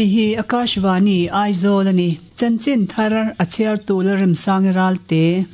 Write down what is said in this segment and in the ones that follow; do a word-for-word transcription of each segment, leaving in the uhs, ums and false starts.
Hei hi Akashvani Aizawl ani. Chanchin thar a chhiar tu Lalremsang Ralte.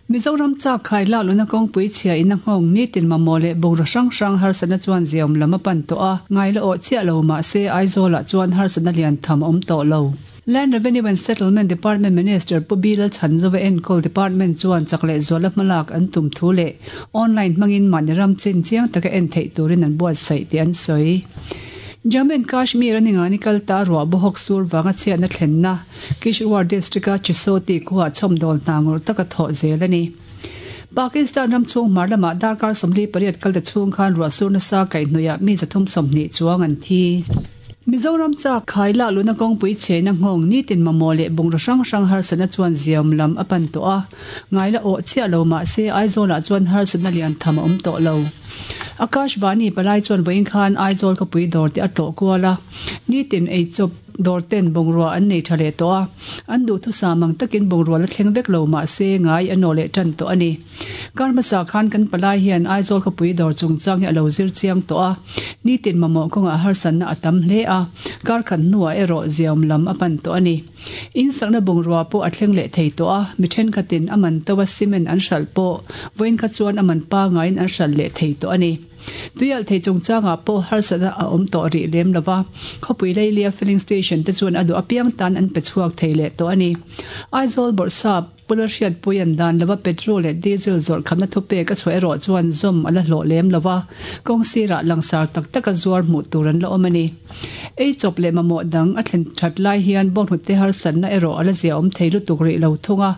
Mizoram chak khai lak luna kawngpui chhia in a nghawng nitin mamawh leh bungraw hrang hrang harsatna chuan ziaawm lam a pan tawh a. Ngai la awh chiah lo mahse Aizawlah chuan harsatna lian tham a awm tawh lo. Land Revenue and Settlement Department Minister Pu Bilal Chhanzova enkawl department chuan chak leh zuala hmalak an tum thu leh online hmangin mahni ram chin chiang taka en theih turin an buatsaih tih an sawi. Jammu and Kashmir a ningani kal ta ruah bawhawk sur vanga chhiatna thlenna Kishtwar district-a Chisoti khuah chhawmdawl hna ngawrh taka thawh zel a ni. Pakistan ram chhung hmar lamah darkar sawmli pariat kalte chhung khan ruah sur nasa kaihhnawihah mi zathum sawmhnih chuang an thi. Mizoram chak khai lak luna kawngpui chhehna nghawng nitin mamawh leh bungraw hrang hrang harsatna chuan ziaawm lam a pan tawh a. Ngai la awh chiah lo mahse Aizawlah chuan harsatna lian tham a awm tawh lo. Akashvani palai chuan vawiin khan Aizawl khawpui dawr te a tlawh kual a. Nitin eichawp dawr ten bungrua an nei tha leh tawh a. An duhthusam ang takin bungrua la thleng vek lo mahse ngai a nawh leh tan tawh a ni. Kar hmasa khan kan palai hian Aizawl khawpui dawr chungchang hi a lo zir chiang tawh a. Nitin mamawh kawngah harsatna a tam hle a. Kar khat hnuah erawh ziaawm lam a pan tawh a ni. In sakna bungrua pawh a thleng leh thei tawh a. Mi thenkhatin a man to a cement an hralh pawh vawiin kha chuan a man pangaiin an hralh leh thei tawh a ni. Tuialh thei chungchangah pawh harsatna a awm tawh rih lem lo va. Khawpui Leilia filling station te chuan a duh apiang tan an pe chhuak thei leh tawh a ni. Aizawl Bawrhsap Pula Hriatpui an dan lova petrol leh diesel zawrh khamna thupek a chhuah erawh chuan zawm a la hlawh lem lo va. Kawng sirah langsar tak taka zuar hmuh tur an la awm a ni. Ei chawp leh mamawh dang a thlen that lai hian bawnghnute harsatna erawh a la zia awm thei lutuk rih lo thung a.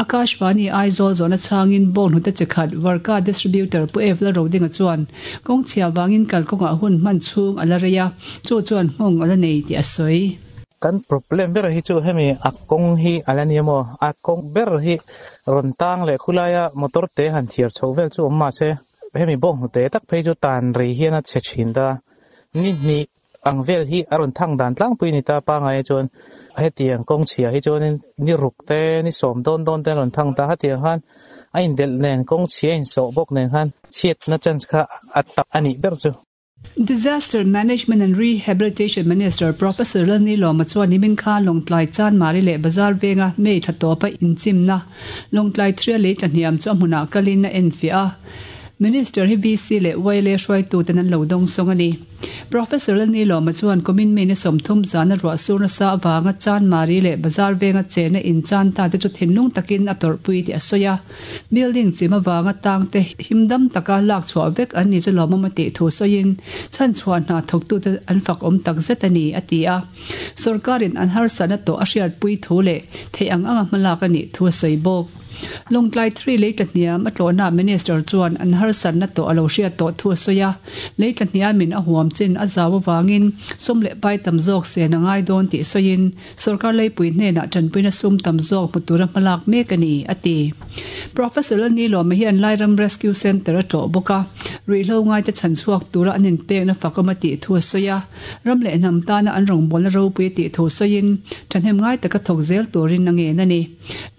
Akashvani Aizawl zawhna chhangin bawnghnute chi khat Varka distributor Pu Evla Rodinga chuan kawng chhia vangin kalkawngah hun hman chhung a la rei a, chu chuan nghawng a la nei tih a sawi. Kan problem ber hi chu hemi a kawng hi a la ni emaw a kawng ber hi rawn tang leh khulaia motor te han thiar chho vel chu awm mahse hemi bawnghnute tak phei chu tan rei hian a chhe thin ta. Ni hnih ang vel hi a rawn thang dan tlangpui ni ta pangai chuan hetiang kawng chhia hi chuanin ni ruk te ni sawm dawn dawn te an rawn thang ta. Hetiang khan a indelh nen kawng chhia insawh bawk nen khan chhiatna chance kha a tak a nih ber chu. Disaster Management and Rehabilitation Minister Professor Lalni Lawma chuan nimin khan Lawngtlai Chanmari leh Bazar venga May tha tawpa inchimna Lawngtlai Thria lei tlahniam chu a hmunah kalin a enfiah a. Minister hi V C leh Y L A hruaituten an lo dawng sawng a ni. Professor Lalni Lawma chuan kumin May ni sawmthum zana ruah sur nasa avanga Chanmari leh Bazar venga chena in chan ta te chu thinlung takin a tawrhpui tih a sawi a. Building chim avanga tang te himdam taka lak chhuah vek an ni chu lawmawm a tih thu sawiin chhan chhuah hna thawktute an fak awm tak zet a ni a ti a. Sorkarin an harsatna tawh a hriatpui thu leh theih ang anga hmalak a nih thu a sawi bawk. Lawngtlai three lei tlahniam a tlawhna Minister chuan an harsatna tawh a lo hriat tawh thu a sawi a. Lei tlahniamin a huam chin a zau avangin sum leh pai tam zawk sen a ngai dawn tih sawiin sorkar leipui hnenah tanpuina sum tam zawk hmu tura hmalak mek a ni a ti. Professor Lalni Lawma hian Lairam Rescue Centre a tlawh bawk a. Ruihhlo ngaite chhan chhuak tura an inpekna fakawm a tih thu a sawi a. Ram leh hnam tana an rawngbawlna ropui a tih thu sawiin thahnem ngai taka thawk zel turin a ngen a ni.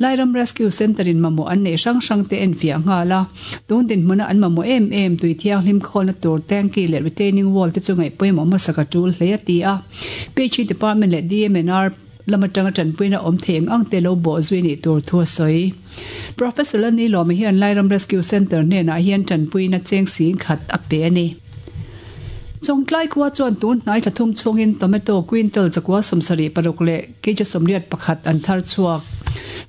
Lairam Rescue Centre in mamawh an nei hrang hrang te enfiah nghal a. Tun dinhmuna an mamawh em em tui thianghlim khawlna tur tanki leh retaining wall te chu ngaih pawimawh hmasa ka tul hle a ti a. P H E Department leh D M N R lama tanga tanpuina awm thei ang ang te lo bawh zui nih tur thu a sawi. Professor Lalni Lawma hian Lairam Rescue Centre hnenah hian tanpuina cheng sing khat a pe a ni. Chawngtlai khua chuan tun hnai thathum chungin tomato quintal chakua sawmsarih paruk leh kg sawmriat pakhat an thar chhuak.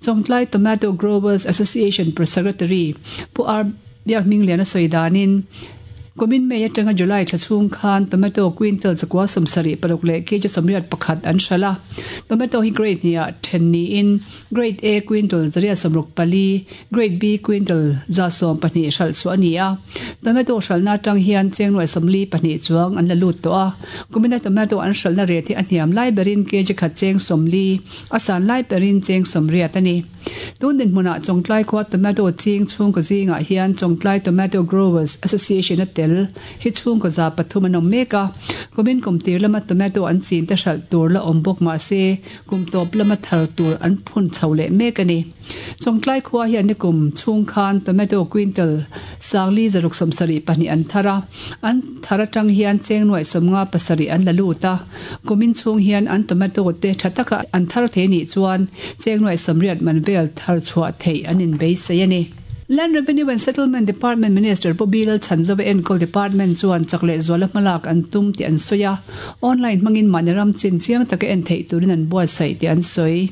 Chawngtlai Tomato Growers Association Secretary Pu R Biak Hminglian a sawi danin kumin May atanga July thla chhung khan tomato quintal chakua sawmsarih paruk leh kg sawmriat pakhat an hralh a. Tomato hi grade hniah then niin grade A quintal zaria sawmruk pali, grade B quintal za sawm pahnih hralh chu a ni a. Tomato hralhna atang hian chengnuai sawmli pahnih chuang an la lut tawh a. Kumina tomato an hralhna ret hi a hniam lai berin kg khat cheng sawmli, a san lai berin cheng sawmriat a ni. Tun dinhmunah Chawngtlai khua tomato ching chhungkaw zingah hian Chawngtlai Tomato Growers Association a tel hi chhungkaw za pathum an awm mek a. Kumin kum tir lama tomato an chin te hralh tur la awm bawk mah se kum tawp lama thar tur an phun chho leh mek a ni. Chawngtlai khua hian nikum chhung khan tomato quintal sangli zaruk sawmsarih pahnih an thar a, an thar atang hian cheng nuaih sawmnga pasarih an la lut a. Kumin chhung hian an tomato te tha taka an thar thei nih chuan cheng nuaih sawmriat man vel thar chhuah theih an inbeisei a ni. Land Revenue and Settlement Department Minister Pu Bilal Chhanzova enkawl department chuan chak leh zuala hmalak an tum tih an sawi a, online hmangin mahni ram chin chiang taka en theih turin an buatsaih tih an sawi.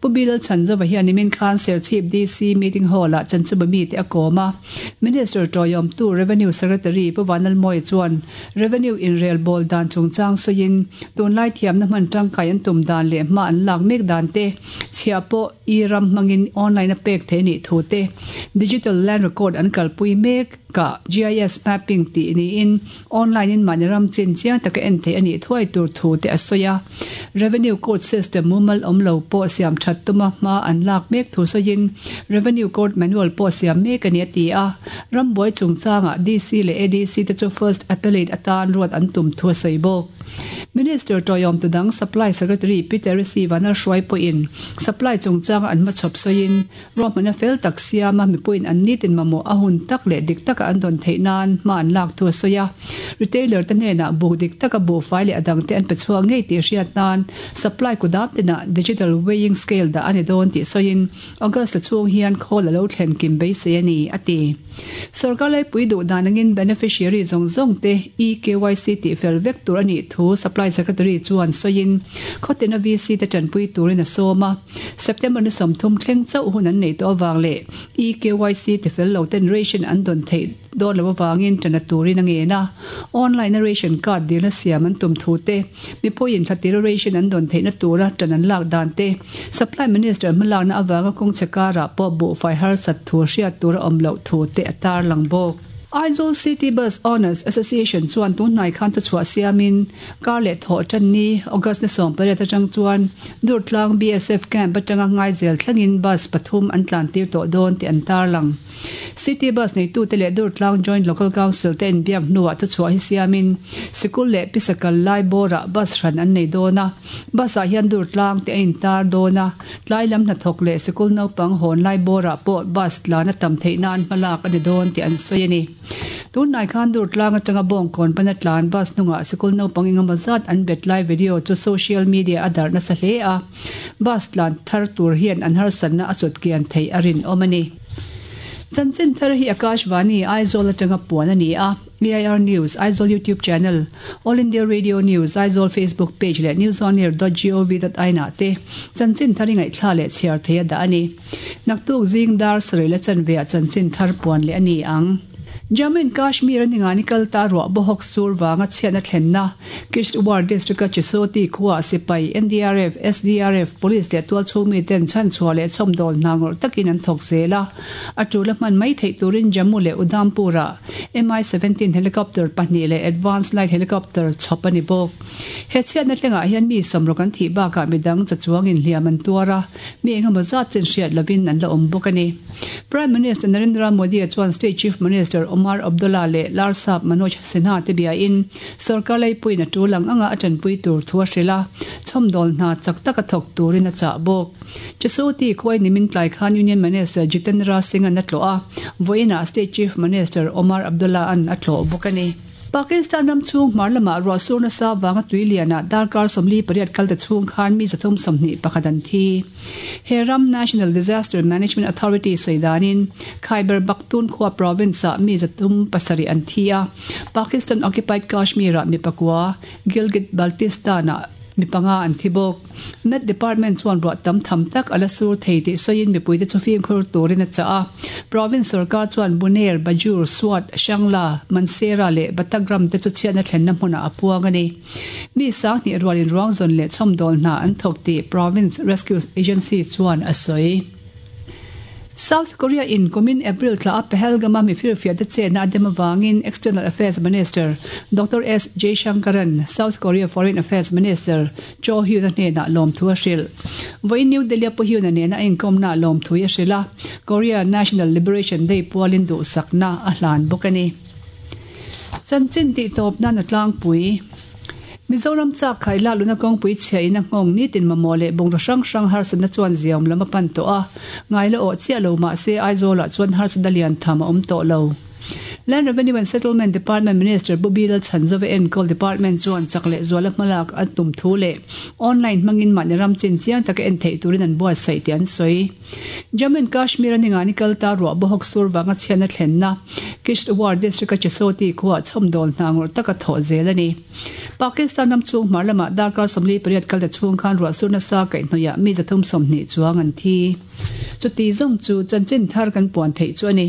Pu Bilal Chhanzova hian nimin khan Serchhip D C Meeting Hall-ah chanchuba mite a kawm a, Minister tawihawmtu Revenue Secretary Pu Vanlalmawia chuan Revenue inrelbawl dan chungchang sawiin tunlai thiamna hman tangkai an tum dan leh hma an lak mek dan te chhiah pawh i ram hmangin online a pek theih nih thu te Digital Land Record an kalpui mek ka G I S mapping tih niin online in mahni ram chin chiang taka en theih a nih thuai tur thu te a sawi a. Revenue Code System mumal awm lo pawh siam that tuma hma an lak mek thu sawiin Revenue Code Manual pawh siam mek a ni a ti a. Rambuai chungchangah D C leh A D C te chu First Appellate atan ruat an tum thu a sawi bawk. Minister tawihawm tudang Supply Secretary Peter C. Vanlalhruai pawhin supply chungchanga an hmachhawp sawiin ruahmanna fel tak siama mipuiin an nitin mamawh a hun tak leh dik taka an dawn theih nan hma an lak thu a sawi a. Retailer te hnenah buk dik taka buhfai leh a dangte an pe chhuak ngei tih hriat nan supply kudam tinah digital weighing scale dah a ni dawn tih sawiin August la chhung hian khawl a lo thlen kim beisei a ni a ti. Sarkar laipui duh dan angin beneficiary zawng zawng te E K Y C tih fel vek tur a nih thu Supply Secretary chuan sawiin khawtina V C te tanpui turin a sawm a. September ni sawmthum thleng chauh hun an nei tawh awang leh E K Y C ti fel lo ten ration an dawn theih dawn lo awangin tana turin a ngen a. Online a ration card dilna siam an tum thu te mipuiin thlatir ration an dawn theihna tura tan an lak dan te Supply Minister hmalakna awanga kawng chhe pawh buhfai harsat thu hriat tur a awm loh thu te a tar lang bawk. Aizawl City Bus Owners Association chuan tunhnai khan thu chhuah siamin kar leh thawh tan ni August ni sawm pariat atang chuan Durtlang B S F camp atanga ngai zel thlengin bus pathum an tlan tir tawh dawn tih an tar lang. City Bus neitu te leh Durtlang Joint Local Council te inbiak hnuah thu chhuah hi siamin sikul leh pisakal lai bawrah bus hran an nei dawn a. Bus ah hian Durtlang te a intar dawn a, tlai lam hnathawk leh sikul naupang hawn lai bawrah pawh bus tlan a tam theih nan hmalak a ni dawn tih an sawi a ni. Tunhnai khan Durtlang atanga bawngkawn pana tlan bus hnungah sikul naupang engemaw zat an bet lai video chu social media a darhna sa hle a. Bus tlan thar tur hian an harsatna a chawt kian theih a rin awm a ni. Chanchin thar hi Akashvani Aizawl atanga puan a ni a. A I R News, Aizawl YouTube channel, All India Radio News, Aizawl Facebook page leh newsonair dot gov dot in ah te chanchin thar ingaih thla leh chhiar thei a dah a ni. Naktuk zing dar sarei la chanve ah chanchin thar puan leh a ni ang. Jammu and Kashmir ani kal ta ruah bawhawk sur wanga chhiatna thlenna Kishtwar district a Chisoti khuwa sipai N D R F, S D R F, police leh tual chhungmi ten chhan chhuah leh chhawmdawl hna ngawrh takin an thawk zel a. A tula hman mai theih turin Jammu leh Udhampur-ah M I seventeen helicopter pahnih leh advanced light helicopter chhawp a ni bawk. He chhiatna thlengah hian mi sawmrawk an thih bakah midang chachuangin hliam an tuar a, mi engemaw zat chen hriat lovin an la awm bawk a ni. Prime Minister Narendra Modi chuan State Chief Minister Omar Abdullah leh Larsap Manoj Sinha te biain sarkar laipuiin a tulang anga a tanpui tur thu a hril a, chhawmdawl hna chak taka thawk turin a chah bawk. Chisoti khuai nimin tlai khan Union Minister Jitendra Singh an a tlawh a, vawiinah State Chief Minister Omar Abdullah an a tlawh bawk a ni. Pakistan ram chung hmar lamah ruah surna sa wanga tuiliana darkar sawmli pariat kalte chhung khan mi zathum sawmhnih pakhat an thi. He ram National Disaster Management Authority sawidanin Khyber Pakhtunkhwa province ah mi zathum pasarih an thi a. Pakistan occupied Kashmir ah mi pakua, Gilgit Baltistan ah mi panga an thi bawk. Met Department chuan ruah tam tham tak ala sur thei tih sawiin mipuite chu fimkhur turin a chah a. Province sarkar chuan Buner, Bajur, Swat, Shangla, Mansera leh Batagram te chu chhiatna thlenna hmunah a puang a ni. Mi sanghnih rualin ruang zawn leh chhawmdawl hna an thawk tih Province Rescue Agency chuan a sawi. South Korea in kumin April thla a Pahalgam a mifir fiah te chenna a dem avangin External Affairs Minister Doctor S Jaishankaran South Korea Foreign Affairs Minister Cho Hyun-a hnenah lawmthu a hrilh. Vawiin New Delhi a Pu Hyun-a nena a inkawmnaah lawmthui a hrilh a, Korea National Liberation Day pualin duhsakna a hlan bawk a ni. Chanchin tih tawp nan a tlangpui. Mizoram chak khai lak luna kawngpui chhia in a nghawng nitin mamawh leh bungraw hrang hrang harsatna chuan ziaawm lam a pan tawh a, ngaila awh chiah lo mahse Aizawlah chuan harsatna lian tham a awm tawh lo. Land Revenue and Settlement Department Minister Pu Bilal Chhanzova enkawl department chuan chak leh zuala hmalak a tum thu leh online hmangin mahni ram chin chiang taka en theih turin an buatsaih tih an sawi. Jammu and Kashmir a ningani kal ta ruah bawhawk sur vanga chhiatna thlenna Kishtwar district a Chisoti khuaah chhawmdawl hna ngawrh taka thawh zel a ni. Pakistan ram chhung hmar lamah darkar sawmli pariat kal ta chhung khan ruah sur nasa kaihhnawihah mi zathum sawmhnih chuang an thi. Chuti zawng chu chanchin thar kan puan theih chu a ni.